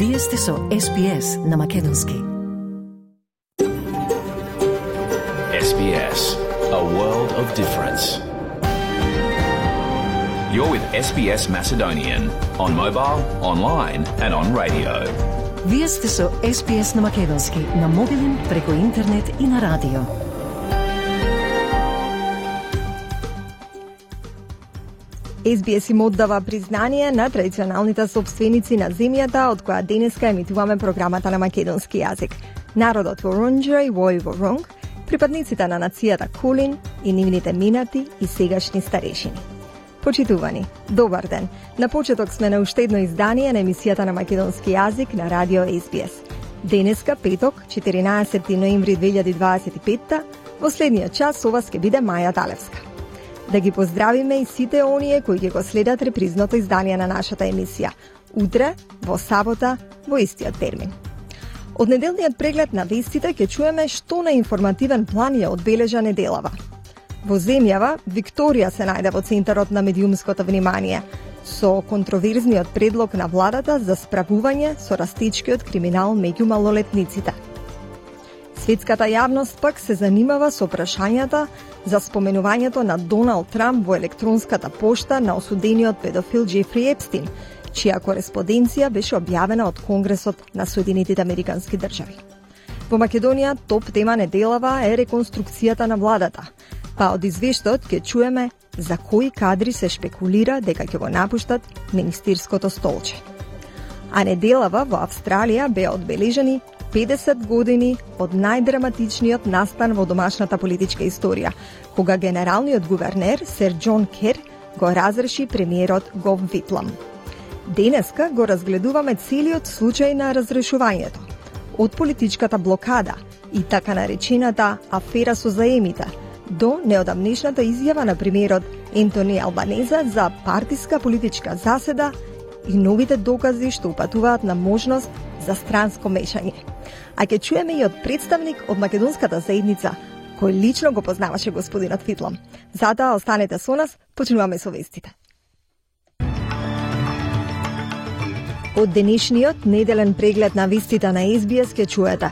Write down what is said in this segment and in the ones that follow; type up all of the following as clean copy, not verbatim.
Вие сте со SBS на Македонски. SBS, a world of difference. You're with SBS Macedonian on mobile, online and on radio. Вие сте со SBS на Македонски на мобилен, преку интернет и на радио. SBS им оддава признание на традиционалните собственици на земјата од која денеска емитуваме програмата на македонски јазик. Народот во Рунџера и Војворонг, припадниците на нацијата Кулин и нивните минати и сегашни старешини. Почитувани, добар ден. На почеток сме на уште едно издание на емисијата на македонски јазик на радио SBS. Денеска, петок, 14 ноември 2025, во следниот час со вас ќе биде Маја Далевска. Да ги поздравиме и сите оние кои ќе го следат репризното издание на нашата емисија. Утре, во сабота, во истиот термин. Од неделниот преглед на вестите ќе чуеме што на информативен план ја одбележа неделава. Во земјава, Викторија се најде во центарот на медиумското внимание, со контроверзниот предлог на владата за справување со растечкиот криминал меѓу малолетниците. Светската јавност пак се занимава со прашањата за споменувањето на Доналд Трамп во електронската пошта на осудениот педофил Джефри Епстин, чија кореспонденција беше објавена од Конгресот на Соединетите Американски држави. Во Македонија топ тема неделава е реконструкцијата на владата, па од извештајот ќе чуеме за кои кадри се шпекулира дека ќе го напуштат министерското столче. А неделава во Австралија беа одбележани 50 години од најдраматичниот настан во домашната политичка историја, кога генералниот гувернер Сер Џон Кер го разреши премиерот Гов Витлам. Денеска го разгледуваме целиот случај на разрешувањето, од политичката блокада и така наречената афера со заемите, до неодамнешната изјава на премиерот Ентони Албанеза за партиска политичка заседа и новите докази што упатуваат на можност за странско мешање. А ќе чуеме и од представник од македонската заедница, кој лично го познаваше господинот Витлам. Затоа останете со нас, почнуваме со вестите. Од денешниот неделен преглед на вестите на SBS ќе чуете.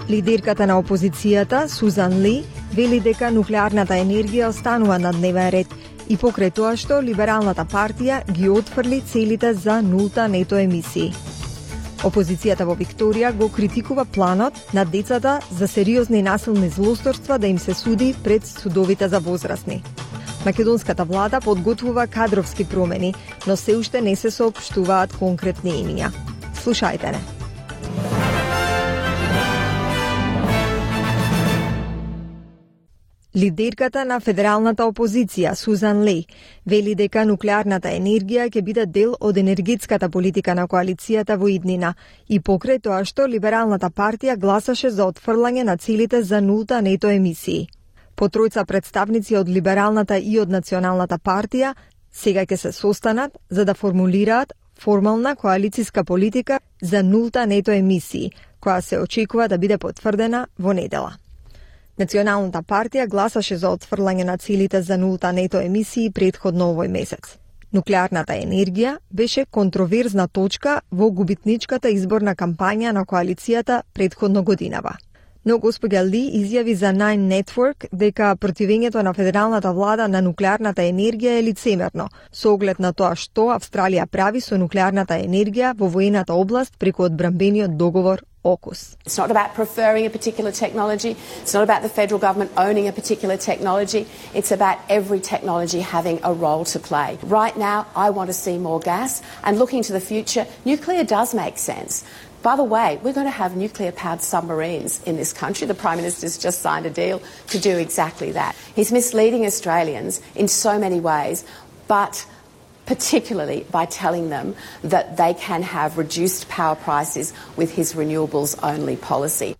Лидерката на опозицијата, Сузан Ли, вели дека нуклеарната енергија останува на дневен ред и покрај тоа што Либералната партија ги отфрли целите за нулта нето емисии. Опозицијата во Викторија го критикува планот на децата за сериозни насилни злосторства да им се суди пред судовите за возрастни. Македонската влада подготвува кадровски промени, но се уште не се соопштуваат конкретни имиња. Слушајте не. Лидерката на федералната опозиција, Сузан Ли, вели дека нуклеарната енергија ќе биде дел од енергетската политика на коалицијата во иднина и покрај тоа што Либералната партија гласаше за отфрлање на целите за нулта нето емисии. По тројца представници од Либералната и од Националната партија сега ќе се состанат за да формулираат формална коалициска политика за нулта нето емисии, која се очекува да биде потврдена во недела. Националната партија гласаше за отфрлање на целите за нулта нето емисии претходно овој месец. Нуклеарната енергија беше контроверзна точка во губитничката изборна кампања на коалицијата претходно годинава. Но госпоѓа Ли изјави за Nine Network дека противењето на федералната влада на нуклеарната енергија е лицемерно, со оглед на тоа што Австралија прави со нуклеарната енергија во воената област преку одбранбениот договор AUKUS. It's not about preferring a particular technology. It's not about the federal government owning a particular technology. It's about every technology having a role to play. Right now, I want to see more gas, and looking to the future, nuclear does make sense. By the way, we're going to have nuclear-powered submarines in this country. The Prime Minister's just signed a deal to do exactly that. He's misleading Australians in so many ways, but particularly by telling them that they can have reduced power prices with his renewables-only policy.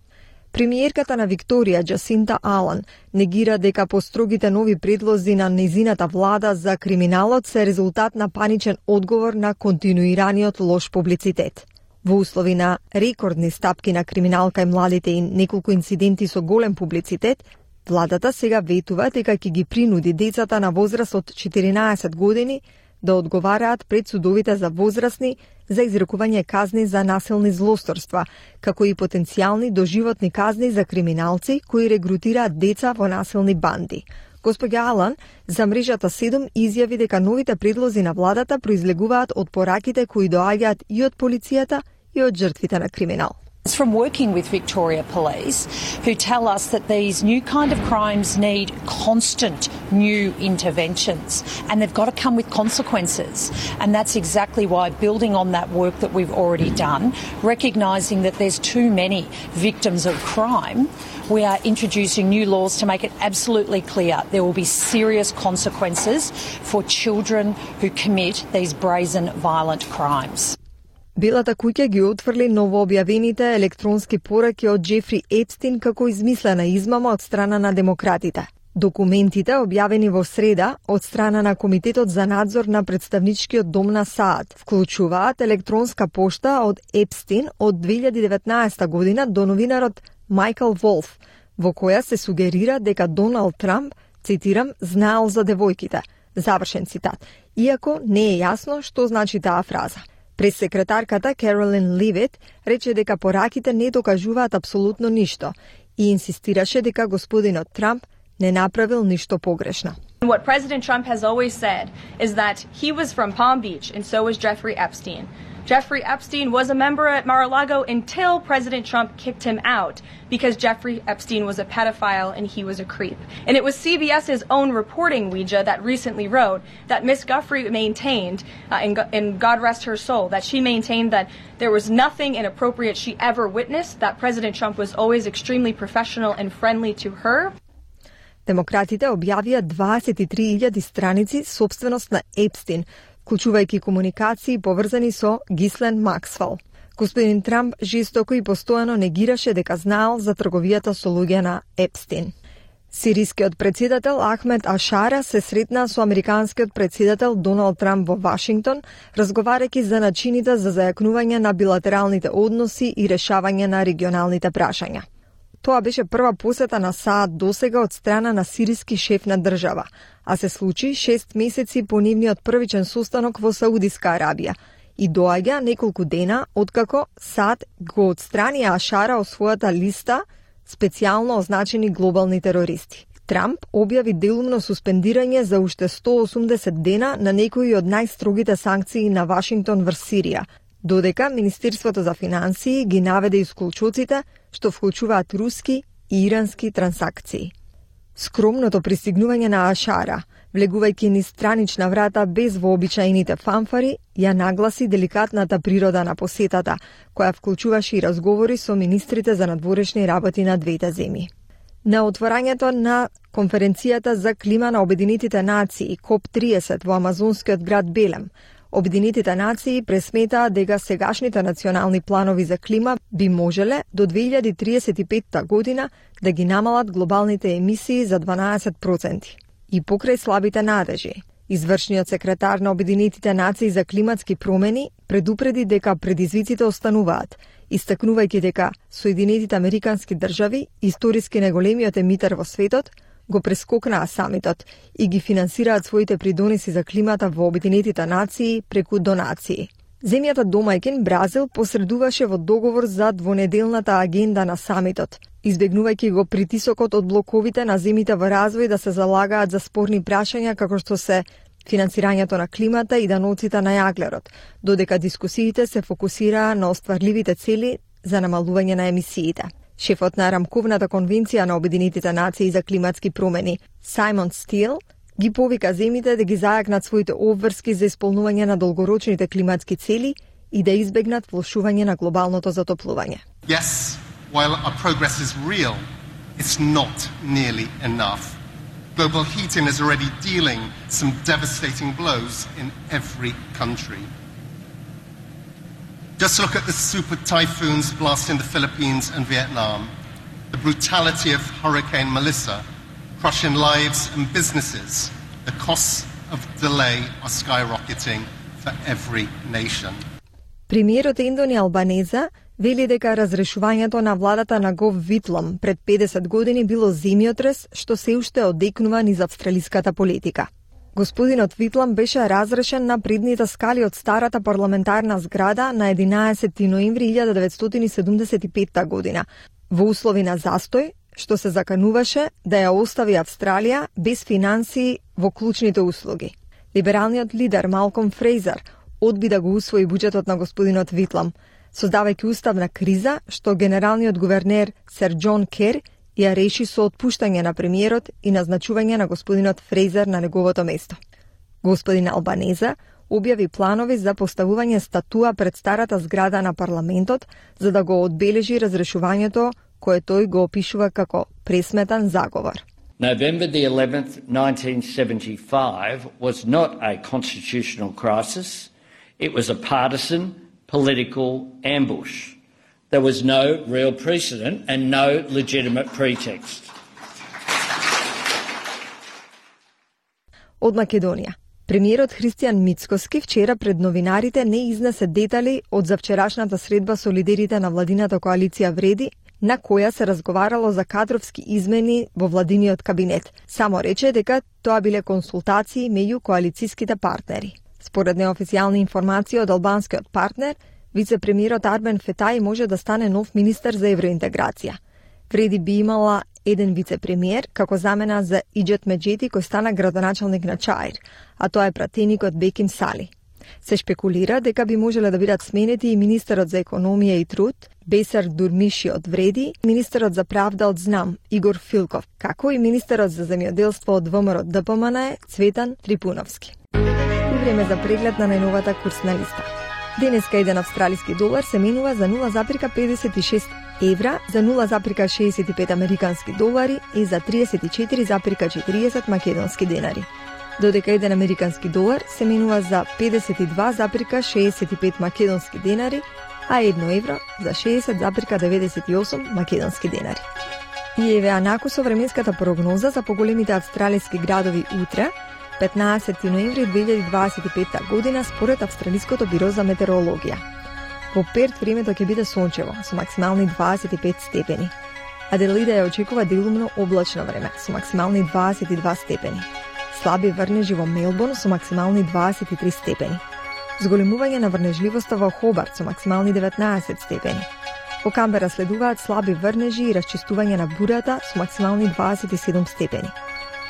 Премиерката на Викторија, Джасинта Алан, негира дека построгите нови предлози на незината влада за криминалот се резултат на паничен одговор на континуираниот лош публицитет. Во услови на рекордни стапки на криминал кај младите и неколку инциденти со голем публицитет, владата сега ветува дека ќе ги принуди децата на возраст од 14 години да одговараат пред судовите за возрастни за изрекување казни за насилни злосторства, како и потенцијални доживотни казни за криминалци кои регрутираат деца во насилни банди. Господја Алан за мрежата 7 изјави дека новите предлози на владата произлегуваат од пораките кои доаѓаат и од полицијата и од жртвите на криминал. It's from working with Victoria Police, who tell us that these new kind of crimes need constant new interventions, and they've got to come with consequences. And that's exactly why, building on that work that we've already done, recognising that there's too many victims of crime, we are introducing new laws to make it absolutely clear there will be serious consequences for children who commit these brazen, violent crimes. Белата куќа ги отфрли новообјавените електронски пораки од Джефри Епстин како измислена измама од страна на демократите. Документите, објавени во среда од страна на Комитетот за надзор на представничкиот дом на САД, вклучуваат електронска пошта од Епстин од 2019 година до новинарот Майкл Волф, во која се сугерира дека Доналд Трамп, цитирам, знаел за девојките, завршен цитат, иако не е јасно што значи таа фраза. Пресекретарката Керолин Ливет рече дека пораките не докажуваат апсолутно ништо и инсистираше дека господинот Трамп не направил ништо погрешно. What President Trump has always said is that he was from Palm Beach and so was Jeffrey Epstein. Jeffrey Epstein was a member at Mar-a-Lago until President Trump kicked him out because Jeffrey Epstein was a pedophile and he was a creep. And it was CBS's own reporting, Ouija, that recently wrote that Miss Guffrey maintained, and God rest her soul, that she maintained that there was nothing inappropriate she ever witnessed, that President Trump was always extremely professional and friendly to her. Демократите објавија 23.000 страници собственост на Епстин, вклучувајќи комуникации поврзани со Гислен Максвел. Господин Трамп жестоко и постојано негираше дека знаел за трговијата со луѓе на Епстин. Сирискиот председател Ахмед Ашара се сретна со американскиот председател Доналд Трамп во Вашингтон, разговарајќи за начините за зајакнување на билатералните односи и решавање на регионалните прашања. Тоа беше прва посета на САД досега од страна на сириски шеф на држава, а се случи 6 месеци по нивниот првичен состанок во Саудиска Арабија и доаѓа неколку дена откако САД го отстрани Ашара од својата листа специјално означени глобални терористи. Трамп објави делумно суспендирање за уште 180 дена на некои од најстрогите санкции на Вашингтон врз Сирија, додека Министерството за финансии ги наведе исклучоците што вклучуваат руски и ирански трансакции. Скромното пристигнување на Ашара, влегувајќи низ странична врата без вообичаените фанфари, ја нагласи деликатната природа на посетата, која вклучуваше и разговори со министрите за надворешни работи на двете земји. На отворањето на конференцијата за клима на Обединетите нации КОП-30 во амазонскиот град Белем, Обединетите нации пресметаа дека сегашните национални планови за клима би можеле до 2035 година да ги намалат глобалните емисии за 12%. И покрај слабите надежи, извршниот секретар на Обединетите нации за климатски промени предупреди дека предизвиците остануваат, истакнувајќи дека Соединетите Американски држави, историски најголемиот емитер во светот, го прескокнаа самитот и ги финансираат своите придоноси за климата во Обединетите нации преку донации. Земјата домајчин Бразил посредуваше во договор за двонеделната агенда на самитот, избегнувајќи го притисокот од блоковите на земјите во развој да се залагаат за спорни прашања како што се финансирањето на климата и даноците на јаглерот, додека дискусиите се фокусираа на остварливите цели за намалување на емисиите. Шефот на Рамковната конвенција на Обединетите нации за климатски промени, Сајмон Стил, ги повика земјите да ги зајакнат своите обврски за исполнување на долгорочните климатски цели и да избегнат влошување на глобалното затоплување. Yes, while our progress is real, it's not nearly enough. Global heating is already dealing some devastating blows in every country. Just look at the super typhoons blasting the Philippines and Vietnam, the brutality of Hurricane Melissa, crushing lives and businesses. The costs of delay are skyrocketing for every nation. Премиерот Ендони Албанеза вели дека разрешувањето на владата на Гов Витлом пред 50 години било земјотрес што се уште одекнува низ австралиската политика. Господинот Витлам беше разрешен на предните скали од старата парламентарна зграда на 11 ноември 1975 година, во услови на застој, што се закануваше да ја остави Австралија без финансии во клучните услуги. Либералниот лидер Малком Фрейзер одби да го усвои буџетот на господинот Витлам, создавајќи уставна криза што генералниот гувернер Сер Џон Кер ја реши со отпуштање на премиерот и назначување на господинот Фрейзер на неговото место. Господин Албанезе објави планови за поставување статуа пред старата зграда на парламентот за да го одбележи разрешувањето кое тој го опишува како пресметан заговор. November the 11th, 1975 was not a constitutional crisis. It was a partisan political ambush. There was no real precedent and no legitimate pretext. Од Македонија. Премиерот Христијан Мицкоски вчера пред новинарите не изнесе детали од завчерашната средба со лидерите на владината коалиција Вреди, на која се разговарало за кадровски измени во владиниот кабинет. Само рече дека тоа биле консултации меѓу коалицијските партнери. Според неофицијални информации од албанскиот партнер, вице-премиерот Арбен Фетај може да стане нов министер за евроинтеграција. Вреди би имала еден вице-премиер како замена за Иџет Меджети кој стана градоначалник на Чаир, а тоа е пратеникот Беким Сали. Се шпекулира дека би можеле да бидат сменети и министерот за економија и труд Бесар Дурмиши од Вреди, министерот за правда од ЗНАМ Игор Филков, како и министерот за земјоделство од ВМРО ДПМН Цветан Трипуновски. И време за преглед на најновата курсна листа. Денеска еден австралиски долар се менува за 0,56 евра, за 0,65 американски долари и за 34,40 македонски денари. Додека еден американски долар се менува за 52,65 македонски денари, а 1 евро за 60,98 македонски денари. И еве накусо временската прогноза за поголемите австралиски градови утре, 15 ноември 2025 година според Австралиското биро за метеорологија. Во Перт времето ќе биде сончево со максимални 25 степени. Аделаида ја очекува делумно облачно време со максимални 22 степени. Слаби врнежи во Мелбурн со максимални 23 степени. Зголемување на врнежливоста во Хобарт со максимални 19 степени. Во Камбера следуваат слаби врнежи и расчистување на бурата со максимални 27 степени.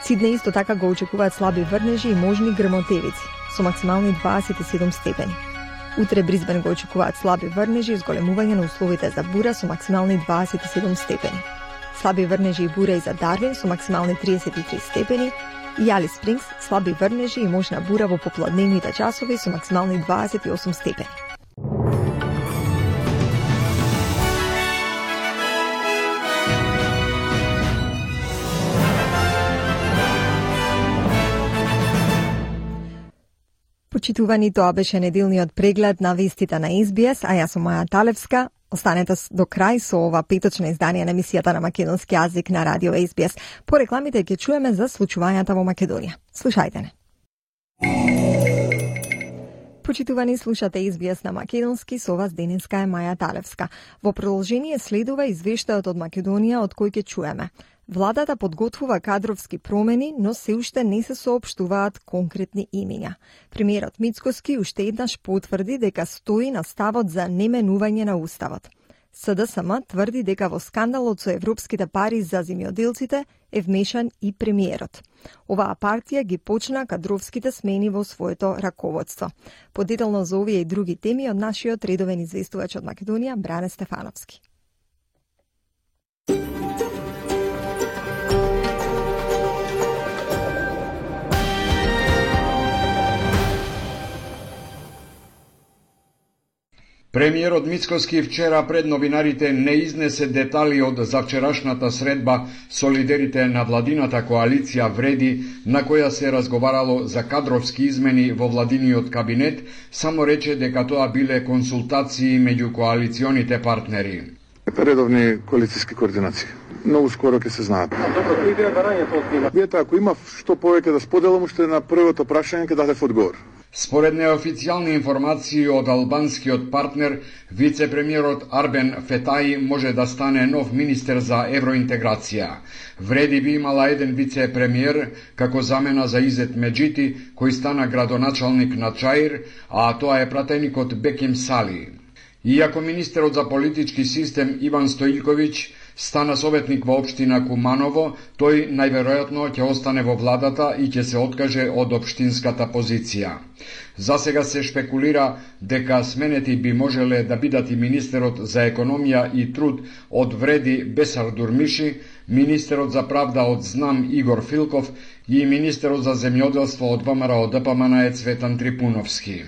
Сидне исто така го очекуваат слаби врнежи и можни грмотевици со максимални 27 степени. Утре Брисбен го очекуваат слаби врнежи и зголемување на условите за бура со максимални 27 степени. Слаби врнежи и бура и за Дарвин со максимални 33 степени и Алис Спрингс слаби врнежи и можна бура во попладневните часови со максимални 28 степени. Почитувани, тоа беше неделниот преглед на вестите на SBS, а јас сум Маја Талевска. Останете до крај со ова петочно издание на емисијата на македонски јазик на радио SBS. По рекламите ќе чуеме за случувањата во Македонија. Слушајте не. Почитувани, слушате SBS на македонски, со вас денеска е Маја Талевска. Во продолжение следува извештајот од Македонија од кој ќе чуеме. Владата подготвува кадровски промени, но се уште не се соопштуваат конкретни имиња. Премиерот Мицкоски уште еднаш потврди дека стои на ставот за неменување на уставот. СДСМ тврди дека во скандалот со европските пари за земјоделците е вмешан и премиерот. Оваа партија ги почна кадровските смени во своето раководство. Подетелно за овие и други теми од нашиот редовен известувач од Македонија Бране Стефановски. Премиерот Мицкоски вчера пред новинарите не изнесе детали од завчерашната средба со лидерите на владината коалиција Вреди, на која се разговарало за кадровски измени во владиниот кабинет, само рече дека тоа биле консултации меѓу коалиционите партнери. Редовни коалицијски координации. Многу скоро ќе се знаат. Добро, кој беа барањата од нива? Ако има што повеќе да споделам, уште на првото прашање ќе дадев одговор. Според неофицијални информации од албанскиот партнер, вице-премиерот Арбен Фетаи може да стане нов министер за евроинтеграција. Вреди би имала еден вице-премиер како замена за Изет Меджити, кој стана градоначалник на Чаир, а тоа е пратеникот Беким Сали. Иако министерот за политички систем Иван Стоилковиќ стана советник во општина Куманово, тој најверојатно ќе остане во владата и ќе се откаже од општинската позиција. За сега се шпекулира дека сменети би можеле да бидат и министерот за економија и труд од Вреди Бесар Дурмиши, министерот за правда од Знам Игор Филков и министерот за земјоделство од ВМРО ДПМН Цветан Трипуновски.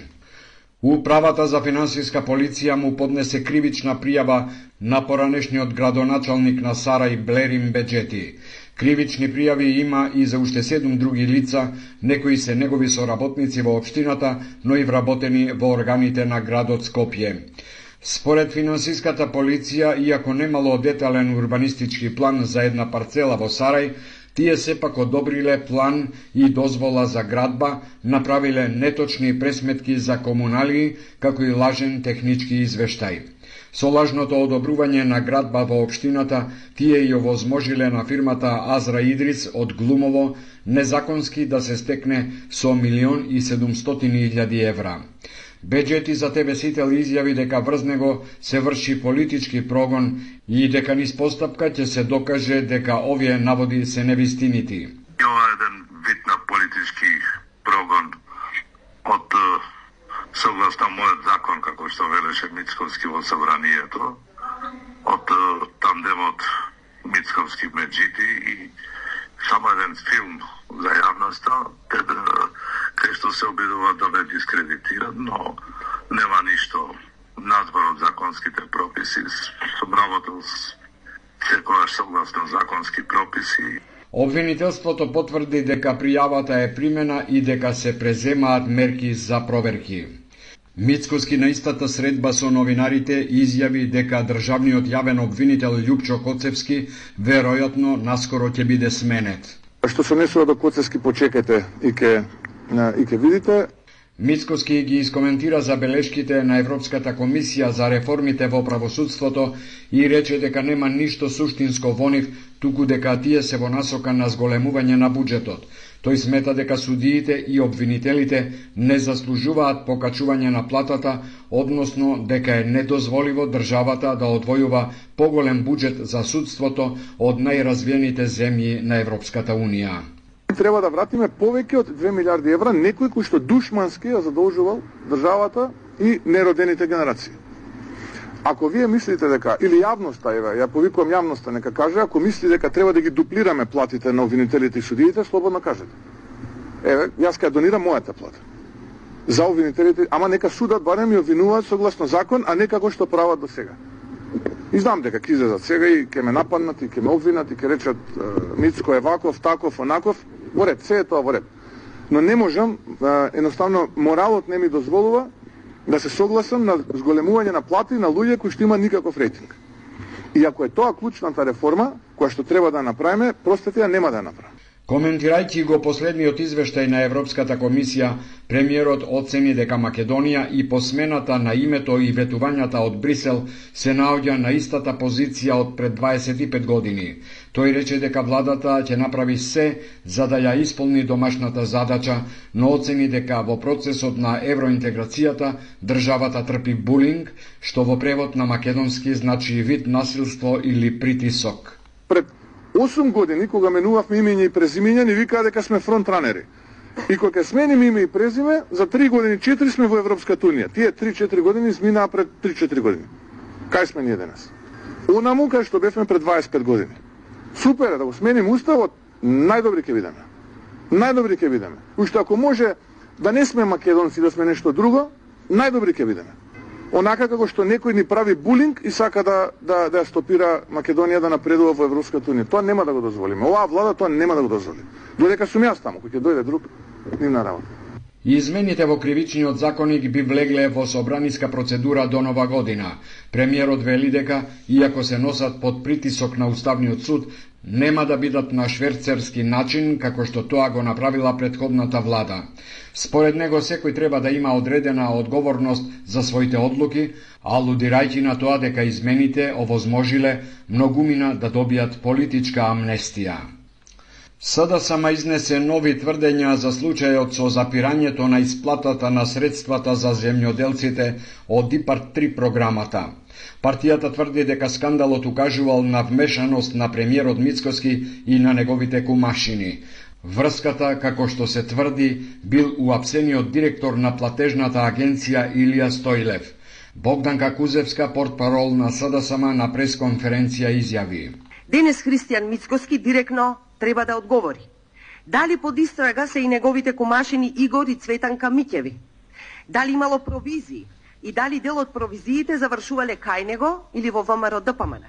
Управата за финансиска полиција му поднесе кривична пријава на поранешниот градоначалник на Сарај Блерим Беџети. Кривични пријави има и за уште 7 други лица, некои се негови соработници во општината, но и вработени во органите на градот Скопје. Според финансиската полиција, иако немало детален урбанистички план за една парцела во Сарај, тие сепак одобриле план и дозвола за градба, направиле неточни пресметки за комуналии, како и лажен технички извештај. Со лажното одобрување на градба во општината, тие ја овозможиле на фирмата Азра Идрис од Глумово незаконски да се стекне со 1.700.000 евра. Беџети за ТВ-сител изјави дека врз него се врши политички прогон и дека низ постапка ќе се докаже дека овие наводи се невистинити. Ова е еден вид на политички прогон од согласно мојот закон, како што велеше Мицковски во собранието, од тандемот Мицковски Меджити и само еден филм за јавноста, кај што се обидува да ме дискредитират, но нема ништо надвор од законските прописи. Сум работел секогаш согласно законски прописи. Обвинителството потврди дека пријавата е примена и дека се преземаат мерки за проверки. Мицкоски на истата средба со новинарите изјави дека државниот јавен обвинител Љупчо Коцевски веројатно наскоро ќе биде сменет. Што се однесува до Коцевски, почекате и ќе видите. Мицкоски ги искоментира забелешките на Европската комисија за реформите во правосудството и рече дека нема ништо суштинско во нив, туку дека тие се во насока на зголемување на буџетот. Тој смета дека судиите и обвинителите не заслужуваат покачување на платата, односно дека е недозволиво државата да одвојува поголем буџет за судството од најразвиените земји на Европската Унија. Треба да вратиме повеќе од 2 милиарди евра некој кој што душмански ја задолжувал државата и неродените генерации. Ако вие мислите дека, или јавноста, ја повикувам јавноста, нека каже, ако мислите дека треба да ги дуплираме платите на обвинителите и судиите, слободно кажете. Јас ќе донирам мојата плата. За обвинителите, ама нека судат барем ја обвинуваат согласно закон, а не како што прават до сега. И знам дека ќе излезат сега и ќе ме нападнат и ќе ме обвинат и ќе речат Мицко е ваков, таков, онаков. Во ред, се е тоа во ред. Но не можам, едноставно моралот не ми дозволува да се согласам на зголемување на плати на луѓе кои што има никаков рейтинг. И ако е тоа клучната реформа, која што треба да направиме, простете ја нема да ја направиме. Коментирајќи го последниот извештај на Европската комисија, премиерот оцени дека Македонија и по смената на името и ветувањата од Брисел се наоѓа на истата позиција од пред 25 години. Тој рече дека владата ќе направи се за да ја исполни домашната задача, но оцени дека во процесот на евроинтеграцијата државата трпи булинг, што во превод на македонски значи вид насилство или притисок. Пред 8 години, кога менувавме имење и презимење, ни викаа дека сме фронтранери. И кога смениме име и презиме, за 3 години, 4 сме во Европската Унија. Тие 3-4 години изминаа пред 3-4 години. Кај сме ние денес? Онаму кај што бевме пред 25 години. Супер е да го сменим уставот, најдобри ќе бидеме. Најдобри ќе бидеме. Уште ако може да не сме македонци, да сме нешто друго, најдобри ќе бидеме. Онака како што некој ни прави булинг и сака да ја стопира Македонија да напредува во Европската Унија. Тоа нема да го дозволиме. Оваа влада тоа нема да го дозволи. Додека сум јас таму, кој ќе дојде друг, нивна работа. Измените во кривичниот законник би влегле во собраниска процедура до нова година. Премиерот вели дека, иако се носат под притисок на Уставниот суд, нема да бидат на шверцерски начин, како што тоа го направила претходната влада. Според него, секој треба да има одредена одговорност за своите одлуки, алудирајќи на тоа дека измените овозможиле многумина да добијат политичка амнестија. СДСМ изнесе нови тврдења за случајот со запирањето на исплатата на средствата за земјоделците од ИПАРД 3 програмата. Партијата тврди дека скандалот укажувал на вмешаност на премиерот Мицкоски и на неговите кумашини. Врската, како што се тврди, бил уапсениот директор на платежната агенција Илија Стојлев. Богданка Кузевска, портпарол на СДСМ, на пресконференција изјави: Денес Христијан Мицкоски директно треба да одговори. Дали под истрага се и неговите кумашини Игор и Цветанка Миќеви? Дали имало провизии и дали дел од провизиите завршувале кај него или во ВМРО ДПМН?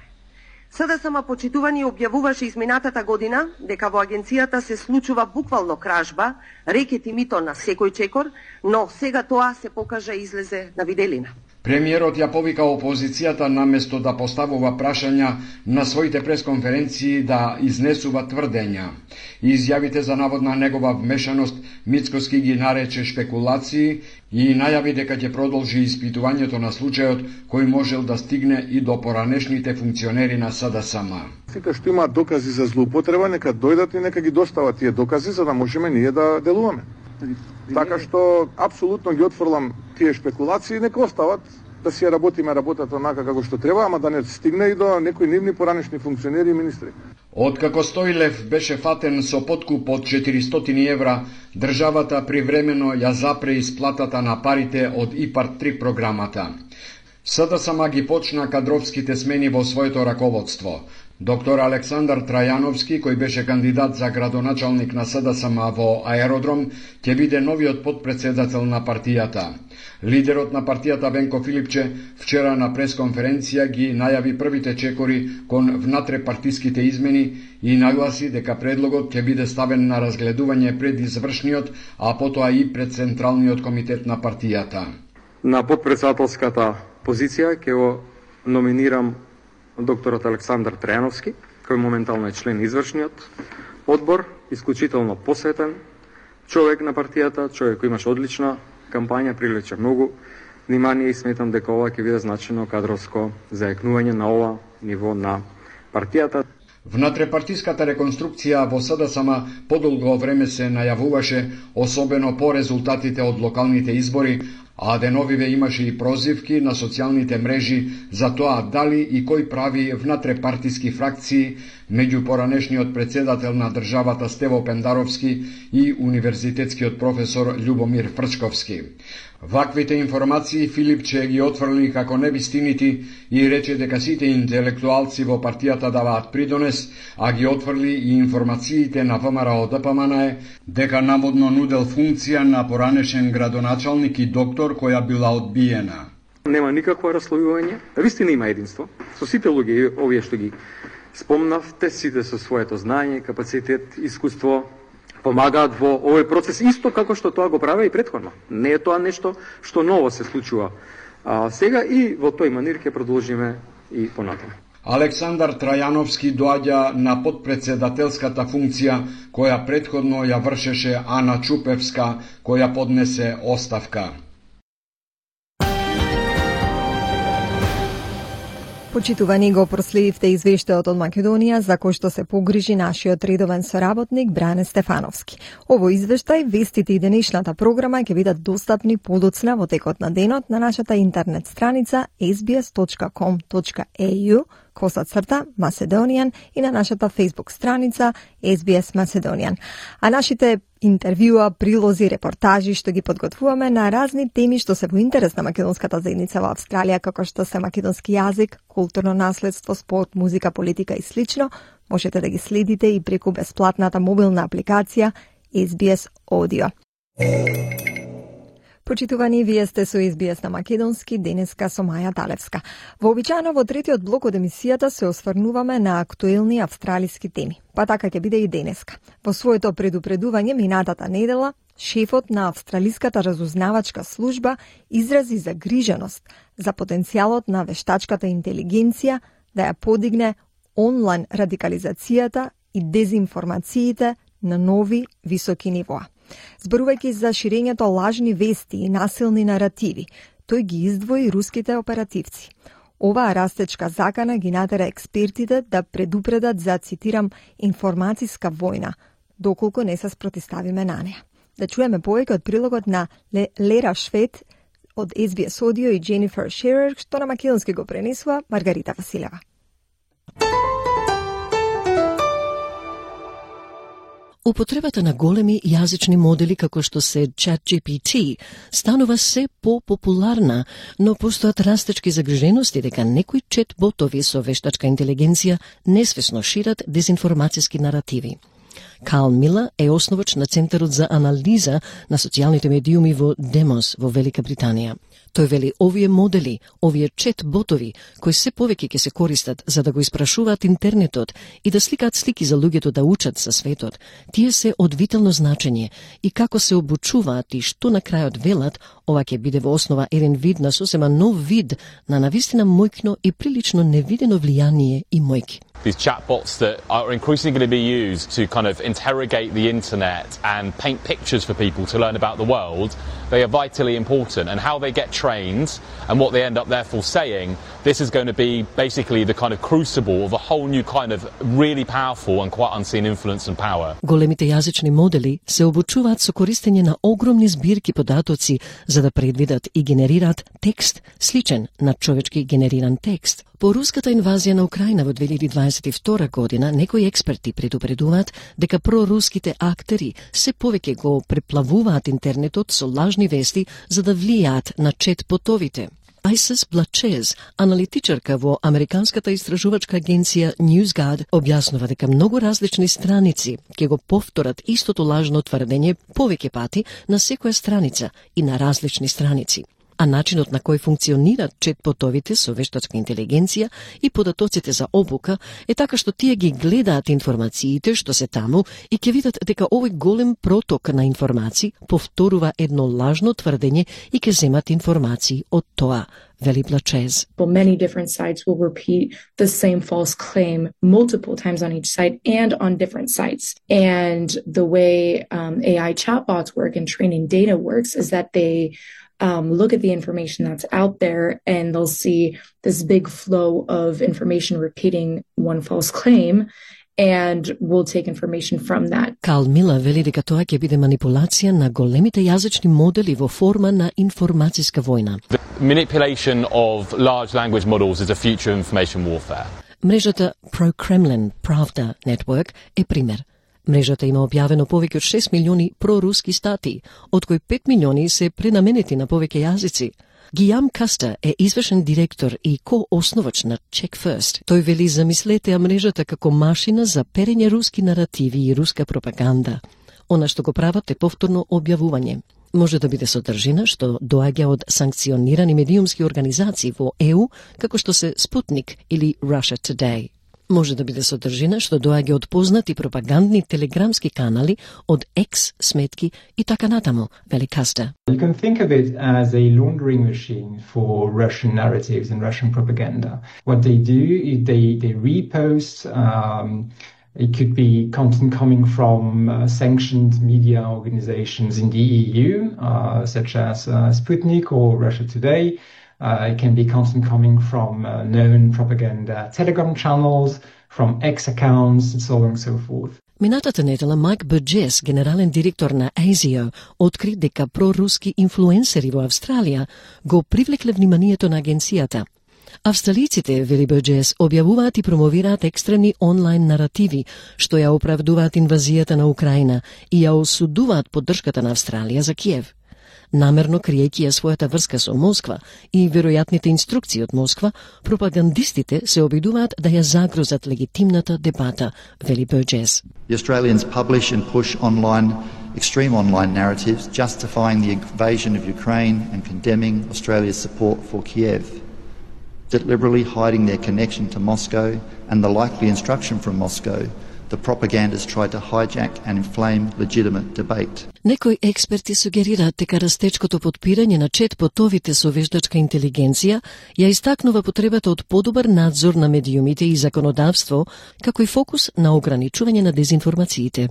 СДСМ почитувани објавуваше изминатата година дека во агенцијата се случува буквално кражба, рекет и мито на секој чекор, но сега тоа се покажа и излезе на виделина. Премиерот ја повика опозицијата наместо да поставува прашања на своите пресконференции да изнесува тврдења. Изјавите за наводна негова вмешаност Мицкоски ги нарече шпекулации и најави дека ќе продолжи испитувањето на случајот кој можел да стигне и до поранешните функционери на СДСМ. Сите што имаат докази за злоупотреба, нека дојдат и нека ги достават тие докази за да можеме ние да делуваме. Така што апсолутно ги отфрлам тие шпекулации, нека остават да си ја работиме работата онака како што треба, ама да не стигне и до некои нивни поранешни функционери и министри. Откако Стојлев беше фатен со подкуп од 400 евра, државата привремено ја запре исплатата на парите од ИПАРД 3 програмата. СДСМ ги почна кадровските смени во своето раководство. Доктор Александар Трајановски, кој беше кандидат за градоначалник на СДСМ во Аеродром, ќе биде новиот подпредседател на партијата. Лидерот на партијата Венко Филипче вчера на пресконференција ги најави првите чекори кон внатре-партиските измени и нагласи дека предлогот ќе биде ставен на разгледување пред извршниот, а потоа и пред Централниот комитет на партијата. На подпредседателската позиција ќе го номинирам докторот Александар Трајановски, кој моментално е член извршниот одбор, исклучително посветен човек на партијата, човек кој имаше одлична кампања, привлече многу внимание и сметам дека ова ќе биде значено кадровско заекнување на ова ниво на партијата. Внатрепартиската реконструкција во СДСМ подолго време се најавуваше, особено по резултатите од локалните избори, а деновиве имаше и прозивки на социјалните мрежи за тоа дали и кој прави внатрепартиски фракции меѓу поранешниот председател на државата Стево Пендаровски и универзитетскиот професор Љубомир Фрчковски. Ваквите информации Филипче ги отфрли како невистинити и рече дека сите интелектуалци во партијата даваат придонес, а ги отфрли и информациите на ВМРО ДПМН дека наводно нудел функција на поранешен градоначалник и доктор која била одбиена. Нема никакво раслојување, вистина има единство. Со сите луѓе овие што ги спомнавте, сите со своето знаење, капацитет, искуство, помагаат во овој процес исто како што тоа го правеа и претходно. Не е тоа нешто што ново се случува сега и во тој манир ќе продолжиме и понатаму. Александар Трајановски доаѓа на подпредседателската функција која претходно ја вршеше Ана Чупевска, која поднесе оставка. Почитувани, го проследивте извештајот од Македонија за кој што се погрижи нашиот редовен соработник Бране Стефановски. Ово извештај, вестите и денешната програма ќе бидат достапни подоцна во текот на денот на нашата интернет страница sbs.com.au/Macedonian и на нашата Facebook страница SBS Macedonian. А нашите интервјуа, прилози, репортажи што ги подготвуваме на разни теми што се во интерес на македонската заедница во Австралија, како што се македонски јазик, културно наследство, спорт, музика, политика и слично, можете да ги следите и преку бесплатната мобилна апликација SBS Audio. Почитувани, вие сте со SBS на македонски, денеска со Маја Талевска. Вообичаено во третиот блок од емисијата се осврнуваме на актуелни австралиски теми. Па така ќе биде и денеска. Во своето предупредување минатата недела, шефот на Австралиската разузнавачка служба изрази загриженост за потенцијалот на вештачката интелигенција да ја подигне онлайн радикализацијата и дезинформациите на нови високи нивоа. Зборувајќи за ширењето лажни вести и насилни наративи, тој ги издвои руските оперативци. Оваа растечка закана ги натера експертите да предупредат за, цитирам, информацијска војна, доколку не се спротиставиме на неа. Да чуеме повеќе од прилогот на Лера Швед од SBS Audio и Дженифер Шерер, што на македонски го пренесува Маргарита Василева. Употребата на големи јазични модели како што се ChatGPT станува се попопуларна, но постојат растечки загрижености дека некои чет-ботови со вештачка интелигенција несвесно шират дезинформацијски наративи. Карл Милер е основач на Центарот за анализа на социјалните медиуми во Демос во Велика Британија. Тој вели овие модели, овие чет-ботови, кои се повеќе ќе се користат за да го испрашуваат интернетот и да сликаат слики за луѓето да учат за светот, тие се од витално значење и како се обучуваат и што на крајот велат, ова ќе биде во основа еден вид на сосема нов вид на навистина мојкно и прилично невидено влијание и мојки. These chatbots that are increasingly going to be used to kind of interrogate the internet and paint pictures for people to learn about the world, they are vitally important. And how they get trained and what they end up therefore saying, this is going to be basically the kind of crucible of a whole new kind of really powerful and quite unseen influence and power. Големите јазични модели се обучуваат со користење на огромни збирки податоци за да предвидат и генерираат текст сличен на човечки генериран текст. По руската инвазија на Украина во 2022 година, некои експерти предупредуваат дека проруските актери се повеќе го преплавуваат интернетот со лажни вести за да влијаат на чет-ботовите. Айсис Блачез, аналитичарка во Американската истражувачка агенција NewsGuard, објаснува дека многу различни страници ќе го повторат истото лажно тврдење повеќе пати на секоја страница и на различни страници. А начинот на кој функционираат чет-ботовите со вештачка интелигенција и податоците за обука е така што тие ги гледаат информациите што се таму и ќе видат дека овој голем проток на информации повторува едно лажно тврдење и ќе земат информации од тоа, вели Блачез. Well, many different sites will repeat the same false claim multiple times on each site and on different sites. And the way AI chatbots work and training data works is that they look at the information that's out there and they'll see this big flow of information repeating one false claim and we'll take information from that. Карл Милер вели дека тоа ќе биде манипулација на големите јазични модели во форма на информацијска војна. The manipulation of large language models is a future of information warfare. Мрежата Pro-Kremlin Pravda Network е пример. Мрежата има објавено повеќе од 6 милиони проруски статии, од кои 5 милиони се пренаменети на повеќе јазици. Гијам Каста е извршен директор и ко-основач на Check First. Тој вели замислете ја мрежата како машина за перење руски наративи и руска пропаганда. Она што го прават е повторно објавување. Може да биде содржина што доаѓа од санкционирани медиумски организации во ЕУ, како што се Sputnik или Russia Today. Може да биде содржина што доаѓа од познати пропагандни телеграмски канали, од X сметки и така натаму, вели Каста. You can think of it as a laundering machine for Russian narratives and Russian propaganda. What they do is they repost. It could be content coming from sanctioned media organizations in the EU, such as Sputnik or Russia Today. It can be content coming from known propaganda Telegram channels, from X accounts, and so on and so forth. Минатата недела Майк Бурджес, генерален директор на ASIO, откри дека проруски инфлуенсери во Австралија го привлекле вниманието на агенцијата. Австралиците, вели Бурджес, објавуваат и промовираат екстремни онлайн наративи, што ја оправдуваат инвазијата на Украина и ја осудуваат поддршката на Австралија за Киев. Намерно криејќи ја својата врска со Москва и веројатните инструкции од Москва, пропагандистите се обидуваат да ја загрозат легитимната дебата, вели Бурджес. The Australians publish and push extreme online narratives justifying the invasion of Ukraine and condemning Australia's support for Kiev, deliberately hiding their connection to Moscow and the likely instruction from Moscow the propagandists tried to hijack and inflame legitimate debate. Некои експерти сугерираат дека растечкото потпирање на чет-ботовите со вештачка интелигенција ја истакнува потребата од подобар надзор на медиумите и законодавство, како и фокус на ограничување на дезинформациите.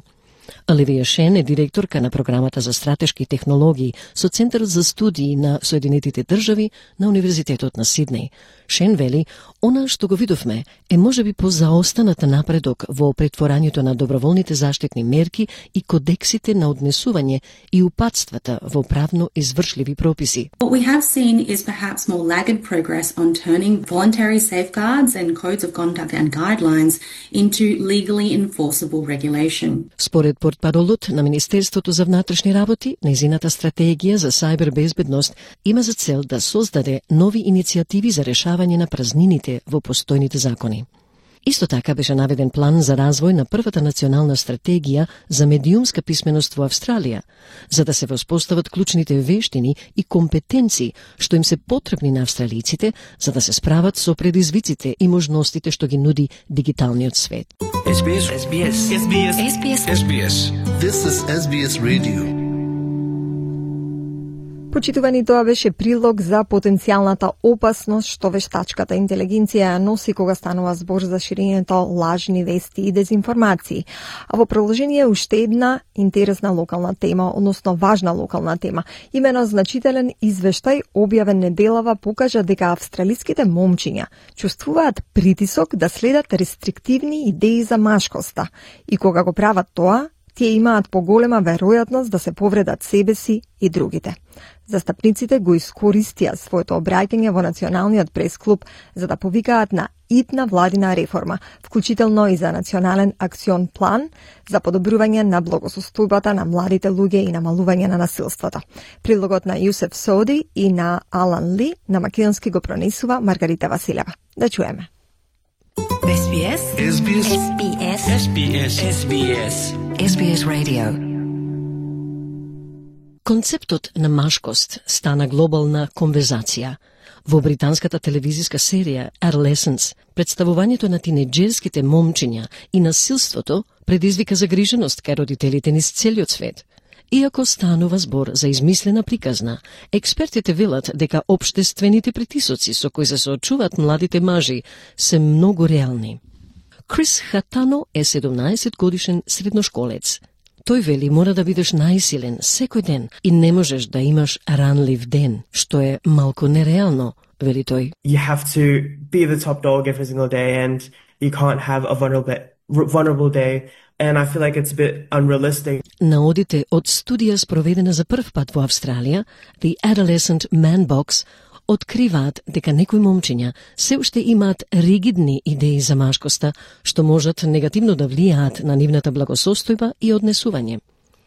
Оливија Шен е директорка на програмата за стратешки технологии со Центарот за студии на Соединетите држави на Универзитетот на Сиднеј. Шен вели, она што го видовме е можеби позаостаната напредок во претворањето на доброволните заштитни мерки и кодексите на однесување и упатствата во правно извршливи прописи. What we have seen is perhaps more laggard progress on turning voluntary safeguards and codes of conduct and guidelines into legally enforceable regulation. Според портпаролот на Министерството за внатрешни работи, нејзината стратегија за сајбербезбедност има за цел да создаде нови иницијативи за решавање на празнините во постојните закони. Исто така беше наведен план за развој на првата национална стратегија за медиумска писменост во Австралија, за да се воспостават клучните вештини и компетенции што им се потребни на австралиците за да се справат со предизвиците и можностите што ги нуди дигиталниот свет. SBS. This is SBS Radio. Почитувани, тоа беше прилог за потенцијалната опасност што вештачката интелигенција ја носи кога станува збор за ширењето лажни вести и дезинформации. А во продолжение уште една интересна локална тема, односно важна локална тема. Имено значителен извештај објавен неделава покажа дека австралиските момчиња чувствуваат притисок да следат рестриктивни идеи за машкоста и кога го прават тоа, тие имаат поголема веројатност да се повредат себе си и другите. Застапниците го искористија своето обраќање во Националниот пресклуб за да повикаат на итна владина реформа, вклучително и за национален акцион план за подобрување на благосостојбата на младите луѓе и намалување на насилството. Прилогот на Јусеф Соди и на Алан Ли на македонски го пронесува Маргарита Василева. Да чуеме. SBS. SBS. SBS. SBS. SBS. SBS Radio. Концептот на машкост стана глобална конверзација. Во британската телевизиска серија Adolescence, представувањето на тинеџерските момчиња и насилството предизвика загриженост кај родителите низ целиот свет. Иако станува збор за измислена приказна, експертите велат дека општествените притисоци со кои се соочуваат младите мажи се многу реални. Крис Хатано е 17 годишен средношколец. Тој вели мора да бидеш најсилен секој ден и не можеш да имаш ранлив ден, што е малку нереално, вели тој. You have to be the top dog every single day and you can't have a vulnerable day. And I feel like it's a bit unrealistic. Наодите од студија спроведена за прв пат во Австралија, The Adolescent Man Box, откриваат дека некои момчиња се уште имаат ригидни идеи за машкоста, што можат негативно да влијаат на нивната благосостојба и однесување.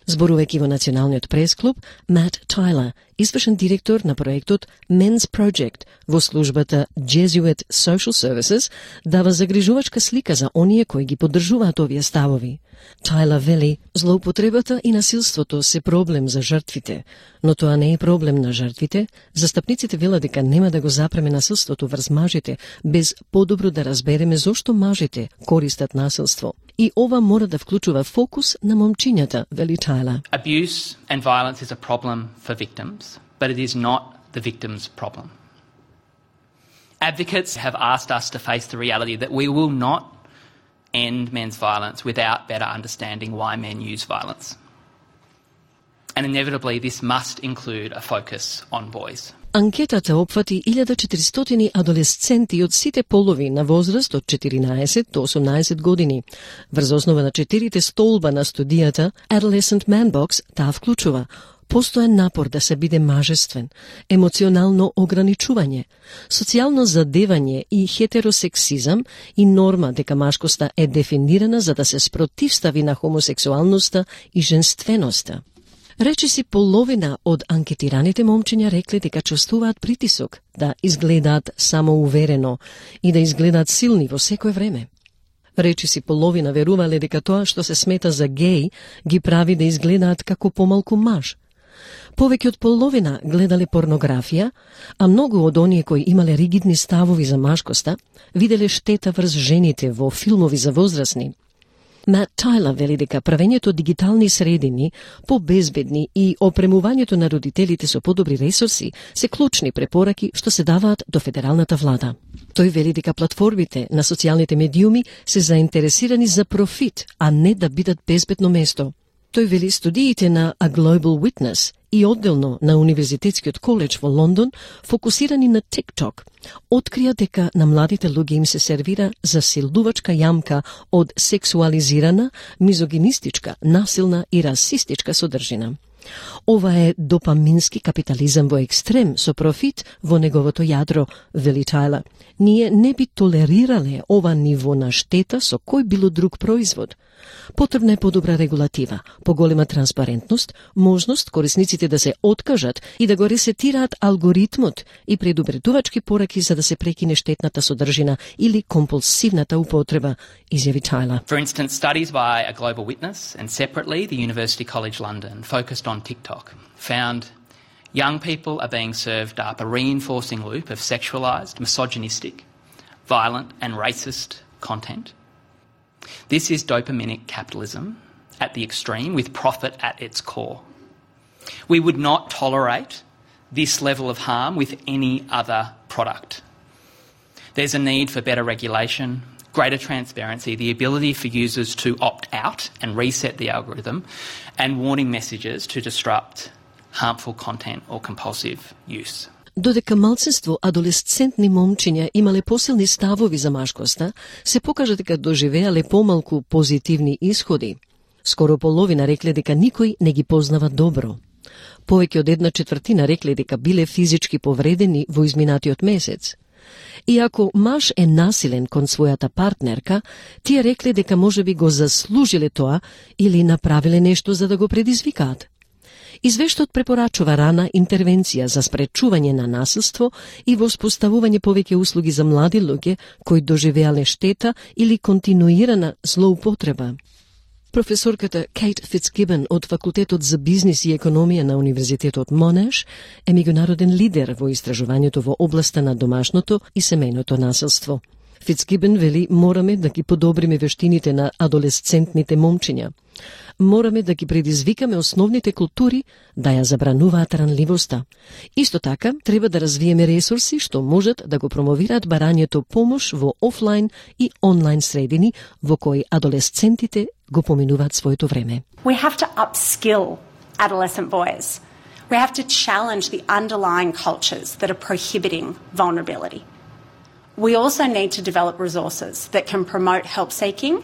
Зборувајќи во Националниот пресклуб, Мат Тайлер, извршен директор на проектот Men's Project во службата Jesuit Social Services, дава загрижувачка слика за оние кои ги поддржуваат овие ставови. Тайлер вели, злоупотребата и насилството се проблем за жртвите, но тоа не е проблем на жртвите. Застапниците велат дека нема да го запреме насилството врз мажите, без подобро да разбереме зошто мажите користат насилство. И ова мора да вклучува фокус на момчињата, вели Тайлер. Abuse and violence is a problem for victims, but it is not the victim's problem. Advocates have asked us to face the reality that we will not end men's violence without better understanding why men use violence. And inevitably this must include a focus on boys. Анкетата опфати 1400 адолесценти од сите полови на возраст од 14 до 18 години. Врз основа на 4 столба на студијата Adolescent Man Box таа вклучува постојан напор да се биде мажествен, емоционално ограничување, социјално задевање и хетеросексизам и норма дека машкоста е дефинирана за да се спротивстави на хомосексуалноста и женственоста. Речиси половина од анкетираните момчиња рекле дека чувствуваат притисок да изгледаат самоуверено и да изгледаат силни во секое време. Речиси половина верувале дека тоа што се смета за геј ги прави да изгледаат како помалку маж. Повеќе од половина гледале порнографија, а многу од оние кои имале ригидни ставови за машкоста виделе штета врз жените во филмови за возрастни. Matt Tyler вели дека правењето дигитални средини побезбедни и опремувањето на родителите со подобри ресурси се клучни препораки што се даваат до федералната влада. Тој вели дека платформите на социјалните медиуми се заинтересирани за профит, а не да бидат безбедно место. Тој вели студиите на A Global Witness и одделно на Универзитетскиот коледж во Лондон, фокусирани на TikTok, открија дека на младите луѓе им се сервира засилувачка јамка од сексуализирана, мизогинистичка, насилна и расистичка содржина. Ова е допамински капитализам во екстрем со профит во неговото јадро, вели Тајлер. Ние не би толерирале ова ниво на штета со кој било друг производ. Потребна е подобра регулатива, поголема транспарентност, можност корисниците да се откажат и да го ресетираат алгоритмот и предупредувачки пораки за да се прекине штетната содржина или компулсивната употреба, изјави Тајлер. For instance, studies by A Global Witness and separately the University College London focused on TikTok found young people are being served up a reinforcing loop of sexualized, misogynistic, violent and racist content. This is dopaminic capitalism at the extreme with profit at its core. We would not tolerate this level of harm with any other product. There's a need for better regulation, greater transparency, the ability for users to opt out and reset the algorithm, and warning messages to disrupt harmful content or compulsive use. Додека малцинство адолесцентни момчиња имале посилни ставови за машкоста, се покажа дека доживеале помалку позитивни исходи. Скоро половина рекле дека никој не ги познава добро. Повеќе од 1/4 рекле дека биле физички повредени во изминатиот месец. И ако маж е насилен кон својата партнерка, тие рекле дека можеби го заслужиле тоа или направиле нешто за да го предизвикаат. Извештајот препорачува рана интервенција за спречување на насилство и воспоставување повеќе услуги за млади луѓе кои доживеале штета или континуирана злоупотреба. Професорката Кейт Фицгибен од Факултетот за бизнис и економија на Универзитетот Монеш е меѓународен лидер во истражувањето во областа на домашното и семејното насилство. Фицгибен вели мораме да ги подобриме вештините на адолесцентните момчиња. Мораме да ги предизвикаме основните култури да ја забрануваат ранливоста. Исто така, треба да развиеме ресурси што можат да го промовираат барањето помош во офлайн и онлайн средини во кои адолесцентите го поминуваат своето време. We have to upskill adolescent boys. We have to challenge the underlying cultures that are prohibiting vulnerability. We also need to develop resources that can promote help seeking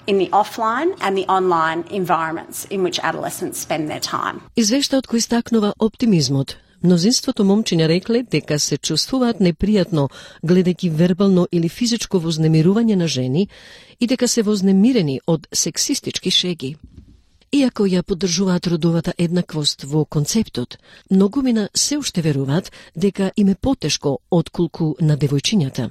in the offline and the online environments in which adolescents spend their time. Извештајот кој стакнува оптимизмот. Мнозинството момчиња рекле дека се чувствуваат непријатно гледајќи вербално или физичко вознемирување на жени и дека се вознемирени од сексистички шеги. Иако ја поддржуваат родовата еднаквост во концептот, многумина се уште веруваат дека им е потешко отколку на девојчињата.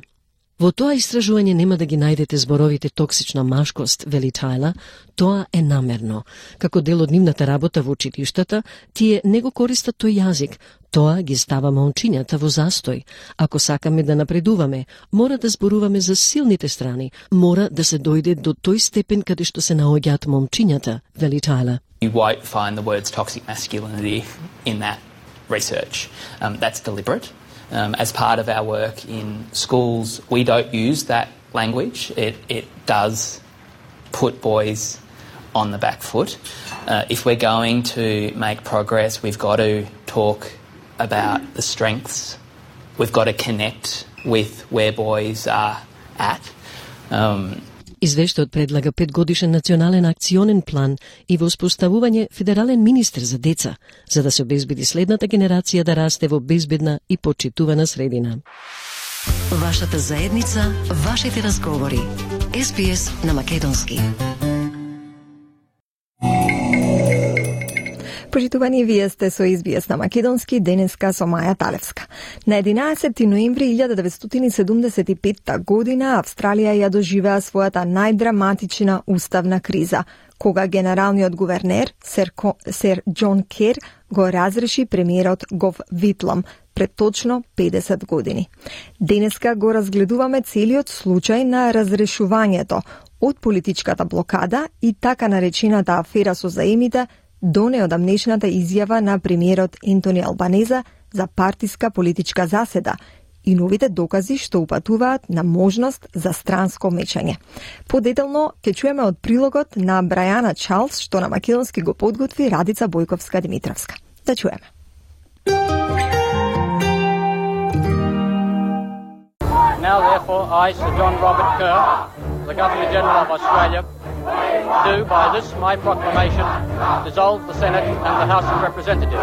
Во тоа истражување нема да ги најдете зборовите токсична машкост, вели Тајлер, тоа е намерно. Како дел од нивната работа во училиштата, тие не го користат тој јазик, тоа ги става момчињата во застој. Ако сакаме да напредуваме, мора да зборуваме за силните страни, мора да се дојде до тој степен каде што се наоѓаат момчињата, вели Тајлер. You won't find the words toxic masculinity in that research. That's deliberate. As part of our work in schools, we don't use that language. It does put boys on the back foot. If we're going to make progress, we've got to talk about the strengths. We've got to connect with where boys are at. Извештајот предлага 5-годишен национален акционен план и воспоставување федерален министер за деца, за да се обезбеди следната генерација да расте во безбедна и почитувана средина. Вашата заедница, вашите разговори. SBS на македонски. Почитувани, вие сте со SBS на македонски, денеска со Маја Талевска. На 11 ноември 1975 година Австралија ја доживеа својата најдраматична уставна криза, кога генералниот гувернер Сер Џон Кер го разреши премиерот Гов Витлам пред точно 50 години. Денеска го разгледуваме целиот случај на разрешувањето, Од политичката блокада и така наречената афера со заемите до неодамнешната изјава на премиерот Ентони Албанеза за партиска политичка заседа и новите докази што упатуваат на можност за странско мечање. Подетално ќе чуеме од прилогот на Брајана Чарлс што на македонски го подготви Радица Бојковска-Димитровска. Да чуеме. Now, therefore, I, Sir John Robert Kerr, the Governor-General of Australia, do, by this my proclamation, dissolve the Senate and the House of Representatives.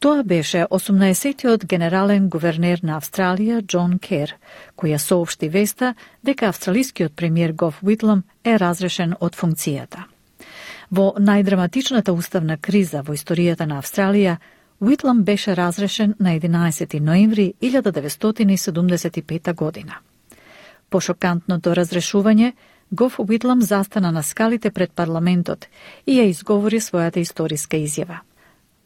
Тоа беше 18-тиот генерален гувернер на Австралија, Џон Кер, која соопшти веста дека австралискиот премиер Гоф Уитлам е разрешен од функцијата. Во најдраматичната уставна криза во историјата на Австралија, Уитлам беше разрешен на 11 ноември 1975 година. По шокантното разрешување, Гоф Уитлам застана на скалите пред парламентот и ја изговори својата историска изјава.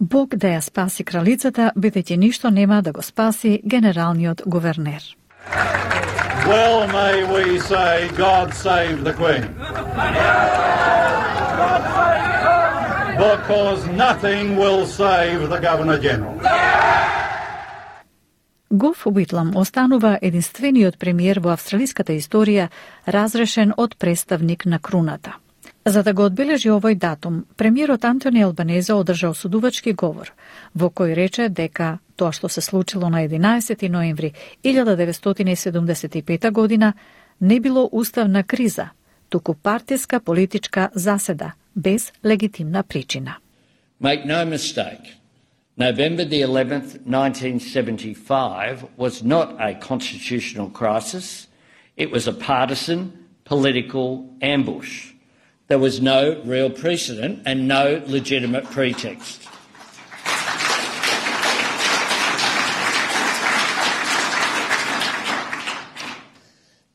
Бог да ја спаси кралицата, бидејќи ништо нема да го спаси генералниот гувернер. Well may we say God save the Queen. Because nothing will save the Governor-General. Гоф Уитлам останува единствениот премиер во австралиската историја разрешен од представник на круната. За да го одбележи овој датум, премиерот Антони Албанезе одржа осудувачки говор, во кој рече дека тоа што се случило на 11 ноември 1975 година не било уставна криза, туку партиска политичка заседа без легитимна причина. Make no mistake, November the 11th, 1975 was not a constitutional crisis. It was a partisan political ambush. There was no real precedent and no legitimate pretext.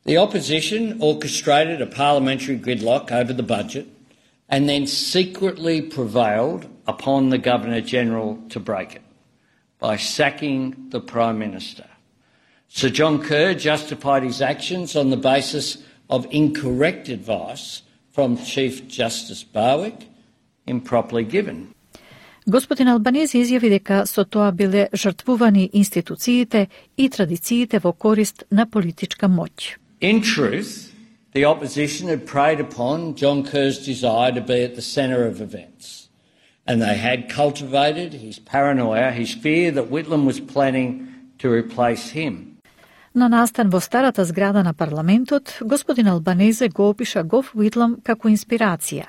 The opposition orchestrated a parliamentary gridlock over the budget and then secretly prevailed upon the Governor-General to break it by sacking the Prime Minister. Sir John Kerr justified his actions on the basis of incorrect advice from Chief Justice Barwick, improperly given. Господин Албанези изјави дека со тоа биле жртвувани институциите и традициите во корист на политичка моќ. In truth, the opposition had preyed upon John Kerr's desire to be at the centre of events, and they had cultivated his paranoia, his fear that Whitlam was planning to replace him. На настан во старата зграда на парламентот, господин Албанезе го опиша Гоф Уитлам како инспирација,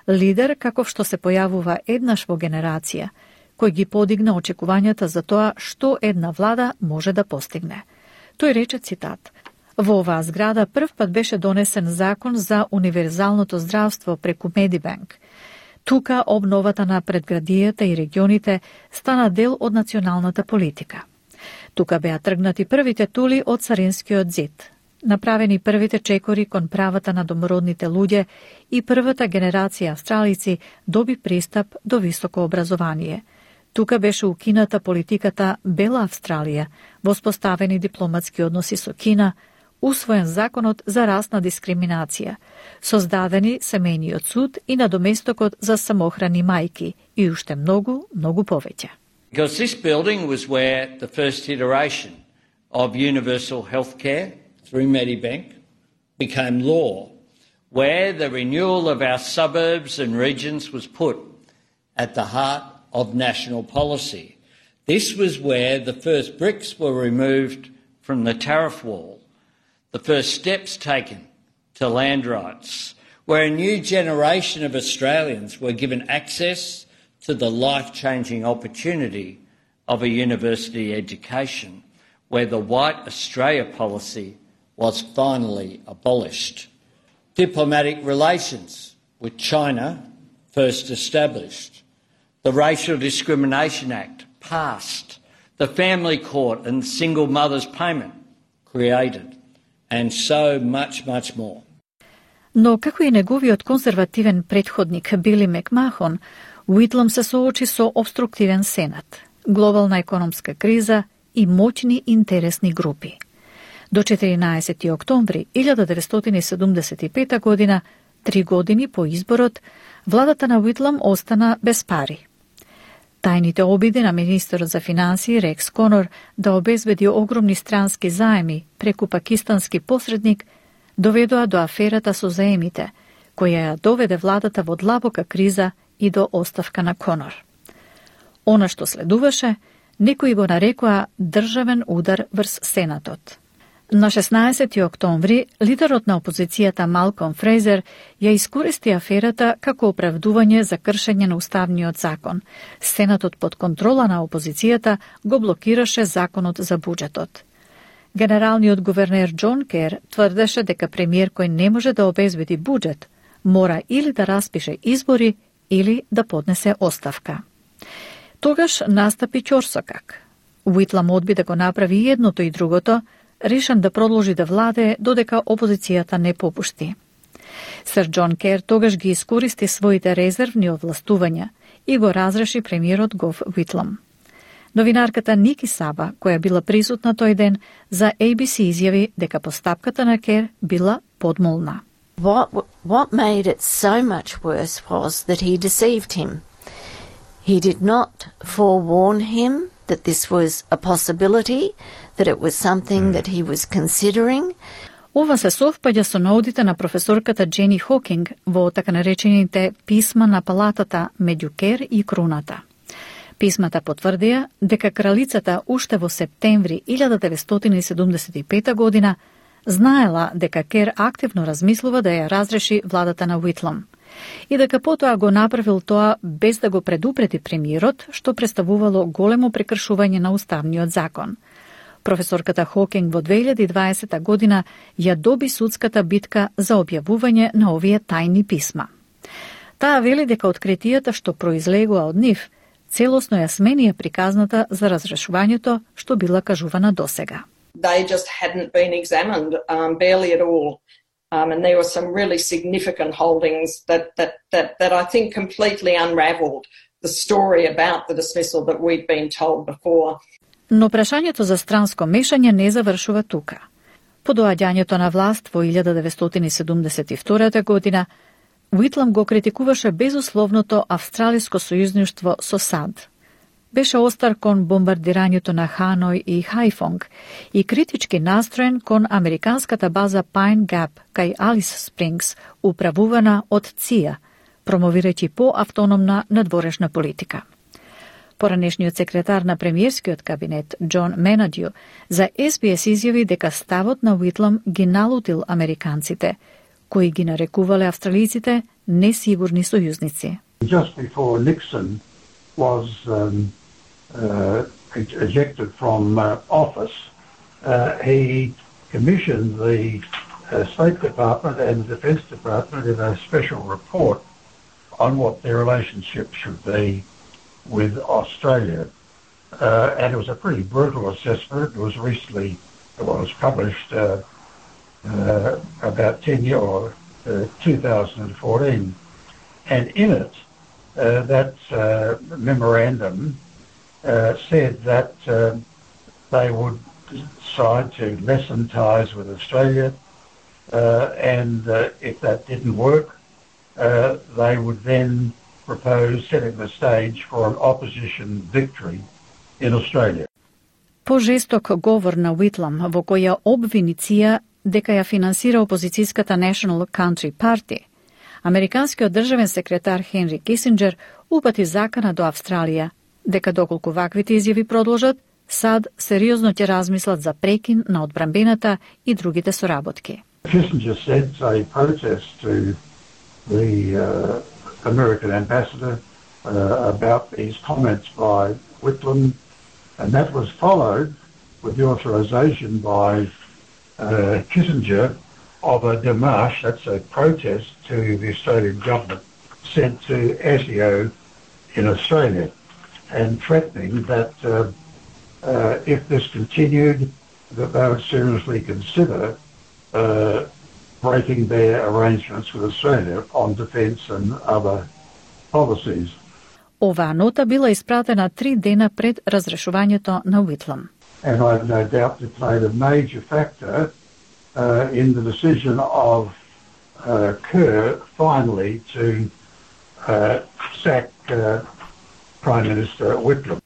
лидер каков што се појавува еднаш во генерација, кој ги подигна очекувањата за тоа што една влада може да постигне. Тој рече цитат: "Во оваа зграда прв пат беше донесен закон за универзалното здравство преку Медибанк. Тука обновата на предградијата и регионите стана дел од националната политика. Тука беа тргнати првите тули од Царинскиот зид, направени првите чекори кон правата на домородните луѓе и првата генерација австралици доби пристап до високо образование. Тука беше укината политиката Бела Австралија, воспоставени дипломатски односи со Кина, усвоен законот за расна дискриминација, создадени семејниот суд и надоместокот за самохрани мајки и уште многу, многу повеќе." Because this building was where the first iteration of universal healthcare through Medibank became law, where the renewal of our suburbs and regions was put at the heart of national policy. This was where the first bricks were removed from the tariff wall, the first steps taken to land rights, where a new generation of Australians were given access to the life-changing opportunity of a university education, where the White Australia policy was finally abolished. Diplomatic relations with China first established. The Racial Discrimination Act passed. The Family Court and Single Mothers Payment created. And so much, much more. Но како и неговиот конзервативен претходник Били Макмахон, Уитлам се соочи со обструктивен сенат, глобална економска криза и моćни интересни групи. До 14. октомври 1975 година, 3 години по изборот, владата на Уитлам остана без пари. Тајните обиди на министерот за финансии Рекс Конор да обезбеди огромни странски заеми преку пакистански посредник доведоа до аферата со заемите, која ја доведе владата во длабока криза и до оставка на Конор. Она што следуваше, некои го нарекоа државен удар врз Сенатот. На 16. октомври, лидерот на опозицијата Малком Фрейзер ја искористи аферата како оправдување за кршење на уставниот закон. Сенатот под контрола на опозицијата го блокираше законот за буџетот. Генералниот гувернер Џон Кер тврдеше дека премиер кој не може да обезбеди буџет, мора или да распише избори или да поднесе оставка. Тогаш настапи ќорсокак. Уитлам одби да го направи едното и другото, решен да продолжи да владее додека опозицијата не попушти. Сер Џон Кер тогаш ги искористи своите резервни овластувања и го разреши премиерот Гов Уитлам. Новинарката Ники Саба, која била присутна тој ден, за ABC изјави дека постапката на Кер била подмолна. What made it so much worse was that he deceived him. He did not forewarn him that this was a possibility, that it was something that he was considering. Ова се совпаѓа со наудите на професорката Джени Хокинг во така наречените писма на палатата меѓу Кер и Круната. Писмата потврдија дека кралицата уште во септември 1975 година знаела дека Кер активно размислува да ја разреши владата на Уитлам и дека потоа го направил тоа без да го предупреди премиерот, што представувало големо прекршување на уставниот закон. Професорката Хокинг во 2020 година ја доби судската битка за објавување на овие тајни писма. Таа вели дека откритијата што произлегува од нив целосно ја сменија приказната за разрешувањето што била кажувана досега. They just hadn't been examined, barely at all. And there were some really significant holdings that I think completely unravelled the story about the dismissal that we'd been told before. Но прашањето за странско мешање не завршува тука. По доаѓањето на власт во 1972 година, Уитлам го критикуваше безусловното австралиско сојузништво со САД. Беше остар кон бомбардирањето на Ханој и Хајфонг и критички настроен кон американската база Pine Gap кај Алис Спрингс, управувана од ЦИА, промовирајќи по-автономна надворешна политика. Поранешниот секретар на премиерскиот кабинет Џон Менадју за SBS изјави дека ставот на Уитлам ги налутил американците, кои ги нарекувале австралиците несигурни сојузници. Just before Nixon was ejected from office, he commissioned the State Department and the Defence Department in a special report on what their relationship should be with Australia. And it was a pretty brutal assessment. It was published about 10 years, or 2014. And in it, that memorandum said that they would decide to lessen ties with Australia, and if that didn't work, they would then propose setting the stage for an opposition victory in Australia. Пожесток говор на Уитлам во која обвини ЦИА дека ја финансира опозицијската National Country Party, американскиот државен секретар Хенри Кисинџер упати закана до Австралија дека доколку ваквите изјави продолжат, САД сериозно ќе размислат за прекин на одбранбената и другите соработки. Kissinger said a protest to the American ambassador about these comments by Whitlam, and that was followed with the authorization by Kissinger of a démarche, that's a protest to the Australian government, sent to ASIO in Australia, and threatening that if this continued, that they would seriously consider breaking their arrangements with Australia on defence and other policies. Оваа нота била испратена 3 дена пред разрешувањето на Уитлам. and I've no doubt they played a major factor in the decision of Kerr finally to sack Prime Minister Whitlam.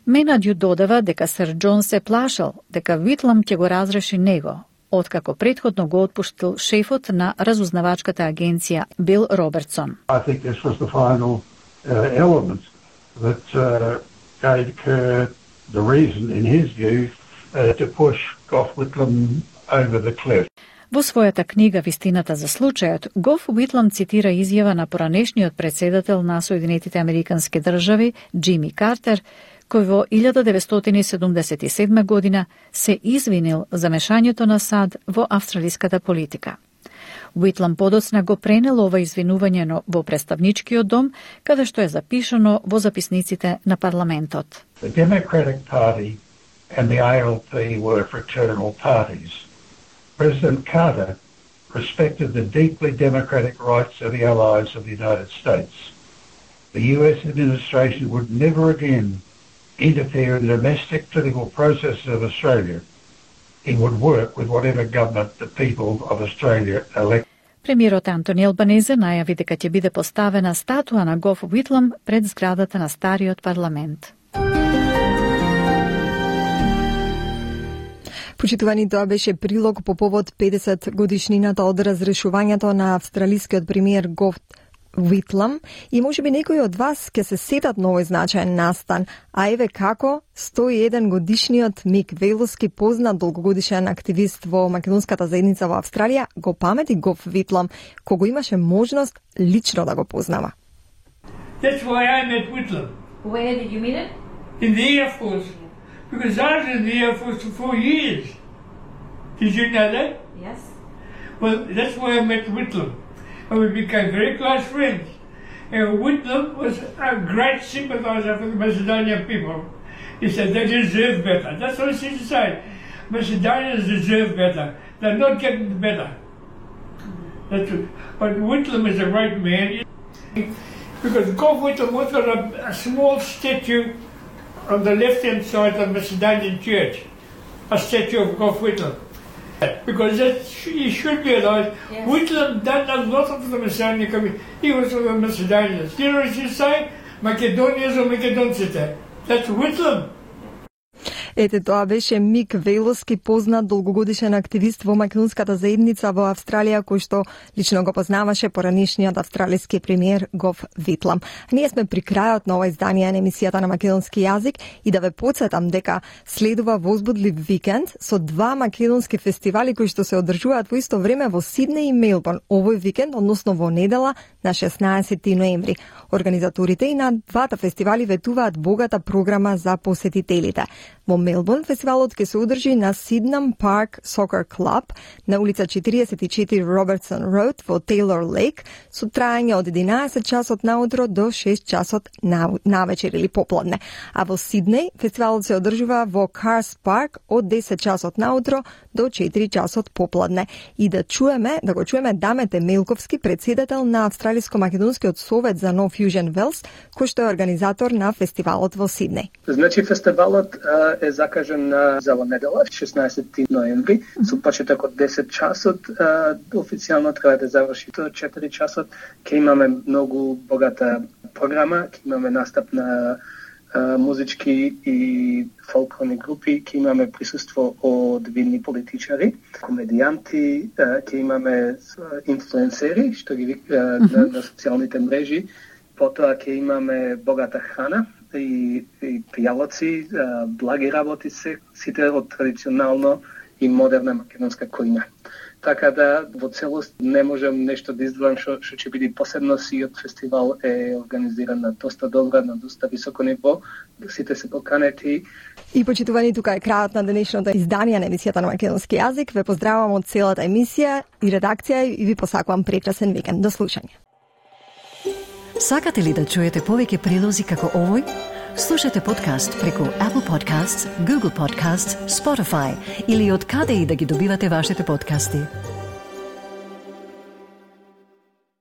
Менаѓу додава дека сер Џон се плашал дека Витлам ќе го разреши него, откако претходно го отпуштил шефот на разузнавачката агенција Бил Робертсон. I think this was the final element that gave Kerr the reason, in his view, to push Gough Whitlam over the cliff. Во својата книга Вистината за случајот, Гоф Уитлам цитира изјава на поранешниот председател на Соединетите Американски држави, Џими Картер, кој во 1977 година се извинил за мешањето на САД во австралиската политика. Уитлам подоцна го пренел ова извинување во представничкиот дом, каде што е запишано во записниците на парламентот. The Democratic Party and the ALP were fraternal parties. President Carter respected the deeply democratic rights of the allies of the United States. The US administration would never again interfere in the domestic political processes of Australia. He would work with whatever government the people of Australia elect. Премиерот Антони Албанезе најави дека ќе биде поставена статуа на Гоф Уитлам пред зградата на стариот парламент. Почитувани, тоа беше прилог по повод 50 годишнината од разрешувањето на австралискиот премиер Гоф Уитлам, и можеби некои од вас ќе се сетат на овој значаен настан, а еве како 101 годишниот Мик Велоски, познат долгогодишен активист во македонската заедница во Австралија, го памети Гоф Уитлам, кога имаше можност лично да го познава. That's why I met Whitlam. Where did you meet him? In the Air Force. Because I was in the Air Force for 4 years. Did you know that? Yes. Well, that's why I met Whitlam. And we became very close friends. And Whitlam was a great sympathiser for the Macedonian people. He said they deserve better. That's what he used to say. Macedonians deserve better. They're not getting better. That's it. But Whitlam is a great man. Because Gough Whitlam was got a small statue on the left-hand side of the Macedonian church. A statue of Gough Whitlam. Because he should be alive. Yes. Whitlam done a lot of the Macedonian community. He was for the Macedonians. You know what you say? Macedonians or Macedoncite. That's Whitlam. Ете, тоа беше Мик Велоски, познат долгогодишен активист во македонската заедница во Австралија, кој што лично го познаваше поранешниот австралиски премиер Гоф Уитлам. Ние сме при крајот на ова издание на емисијата на македонски јазик и да ве потсетам дека следува возбудлив викенд со 2 македонски фестивали кои што се одржуваат во исто време во Сиднеј и Мелбурн овој викенд, односно во недела на 16 ноември. Организаторите и на двата фестивали ветуваат богата програма за посетителите. Во Мелбурн фестивалот ќе се одржи на Сиднам Парк Сокер Клуб на улица 44 Робертсон Роуд во Тейлор Лейк со трајање од 11 часот наутро до 6 часот навечер или попладне. А во Сиднеј фестивалот се одржува во Карс Парк од 10 часот наутро до 4 часот попладне. И да го чуеме Дамете Мелковски, председател на Австралиско-македонскиот совет за No Fusion Wales, кој што е организатор на фестивалот во Сиднеј. Значи фестивалот е закажан за недела, 16 ноември, со почеток од 10 часот, официјално треба да заврши до 4 часот. Ќе имаме многу богата програма, ќе имаме настап на музички и фолклорни групи, ќе имаме присуство од видни политичари, комедијанти, ќе имаме инфлуенсери, што ги на социјалните мрежи, потоа ќе имаме богата храна, и пијалоци, благи работи сите од традиционално и модерна македонска којна. Така да во целост не можам нешто да издвојам што ќе биде посебно. Сиот фестивал е организиран на доста добра, на доста високо ниво. Сите се поканети. И почитувани, тука е крајот на денешното издание на емисијата на македонски јазик. Ве поздравувам од целата емисија и редакција и ви посакувам прекрасен викенд. До слушање. Сакате ли да чуете повеќе прилози како овој? Слушате подкаст преку Apple Podcasts, Google Podcasts, Spotify или од каде и да ги добивате вашите подкасти.